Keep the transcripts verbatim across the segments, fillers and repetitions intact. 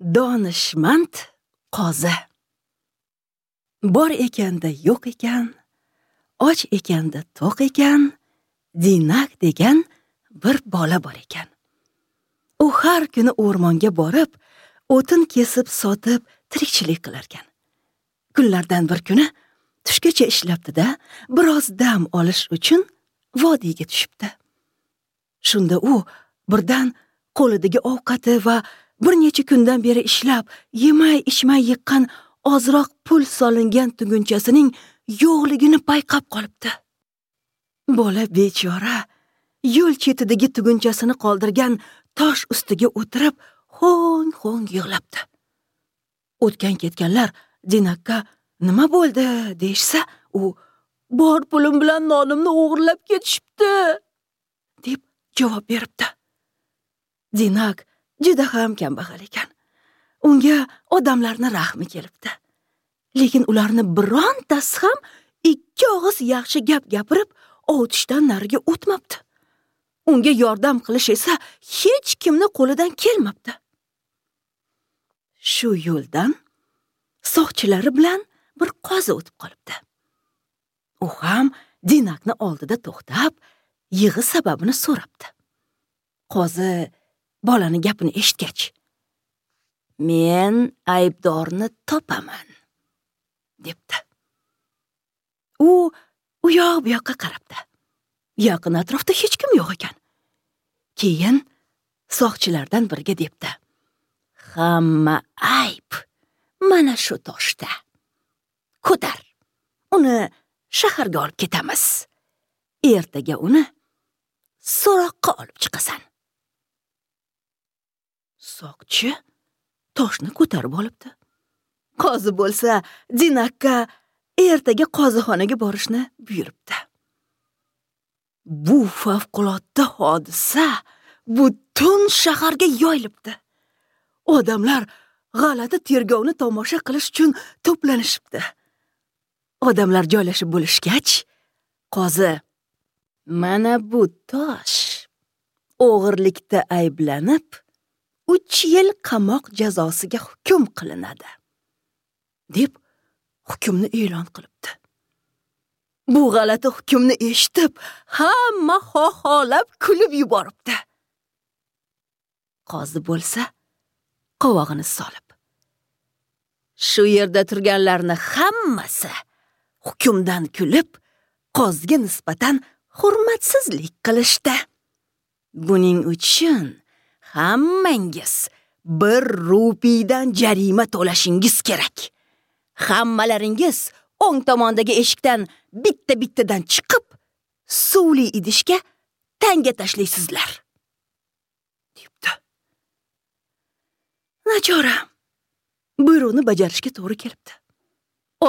Donishmand qozi. Bor ekanda yo'q ekan, och ekanda to'q ekan, Dinak degan bir bola bor ekan. U har kuni o'rmonga borib, o'tin kesib sotib tirikchilik qilar ekan. Kunlardan bir kuni tushgacha ishlabdi-da, biroz dam olish uchun vodiyga tushibdi. Shunda u birdan qo'lidagi ovqati va bir necha kundan beri ishlab, yemay ichmay yiqqan ozroq pul solingan tugunchasining yo'qligini payqab qolibdi. Bola bechora yo'l chetidagi tugunchasini qoldirgan tosh ustiga o'tirib, ho'ng-ho'ng yig'labdi. O'tgan ketganlar Dinakka nima bo'ldi deyishsa, u bor pulim bilan nonimni o'g'irlab ketishibdi deb javob beribdi. Dinak juda ham kambag'al ekan. Unga odamlarni rahmi kelibdi. Lekin ularni birontasi ham ikki og'iz yaxshi gap gapirib, ovutishdan nariga o'tmabdi. Unga yordam qilish esa hech kimni qo'lidan kelmabdi. Shu yo'ldan soqchilari bilan bir qozi o'tib qolibdi. U ham Dinakni oldida to'xtab, yig'i sababini so'rabdi. Qozi bolani gapini eshitgach, "Men aybdorni topaman" debdi. U u yoq bu yoqqa qarabdi. Yaqin atrofda hech kim yo'q ekan. Keyin soqchilardan biriga debdi: "Hamma ayb mana shu toshda. Ko'tar, uni shaharga olib ketamiz. Ertaga uni so'roqqa olib chiqasan." Soqchi toshni ko'tarib olibdi. Qozi bo'lsa Dinakka ertaga qozixonaga borishni buyuribdi. Bu favqulodda hodisa butun shaharga yoyilibdi. Odamlar g'alati tergovni tomosha qilish uchun to'planishibdi. Odamlar joylashib bo'lishgach, qozi: "Mana bu tosh o'g'irlikda ayblanib, uch yil qamoq jazosiga hukm qilinadi" deb hukmni e'lon qilibdi. Bu g'alati hukmni eshitib, hamma xoholab kulib yuboribdi. Qozi bo'lsa qovog'ini solib, shu yerda turganlarni hammasi hukmdan kulib, qoziga nisbatan hurmatsizlik qilishdi. Buning uchun hammangiz bir rupiydan jarima to'lashingiz kerak. Hammalaringiz o'ng tomondagi eshikdan bitta-bittadan chiqib, suvli idishga tanga tashlaysizlar, debdi. Nachora buyruqni bajarishga to'g'ri kelibdi.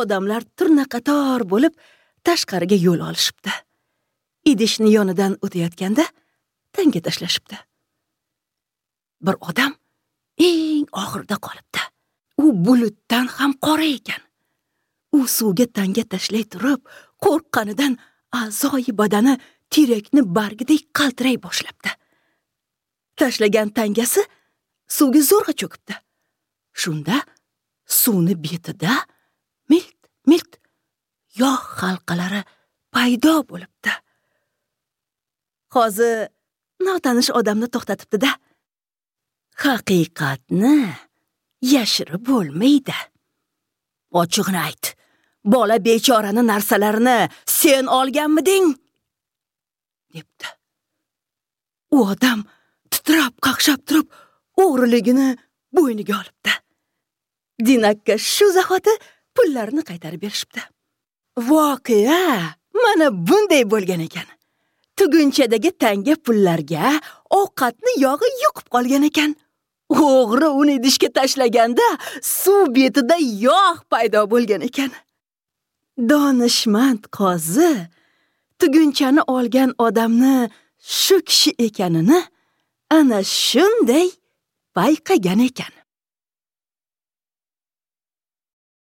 Odamlar turnaqator bo'lib tashqariga yo'l olishibdi. Idishni yonidan o'tayotganda tanga tashlashibdi. Bir odam eng oxirida qolibdi. U bulutdan ham qora ekan. U suvga tanga tashlay turib, qo'rqqanidan a'zoyi badani terakni bargidek qaltiray boshlabdi. Tashlagan tangasi suvga zo'rg'a cho'kibdi. Shunda suvni betida milt-milt yog' halqalari paydo bo'libdi. Qozi notanish odamni to'xtatibdi-da, "Haqiqatni yashirib bo'lmaydi. Ochig'ini ayt. Bola bechorani narsalarini sen olganmiding?" debdi. U odam titrab qaqshab turib, o'g'riligini bo'yniga olibdi. Dinakka shu zahoti pullarni qaytarib berishibdi. Voqea mana bunday bo'lgan ekan. Tugunchadagi tanga pullarga ovqatni yog'i yuqib qolgan ekan. O'g'ri uni idishga tashlaganda suv betida yog' paydo bo'lgan ekan. Donishmand qozi tugunchani olgan odamni shu kishi ekanini ana shunday payqagan ekan.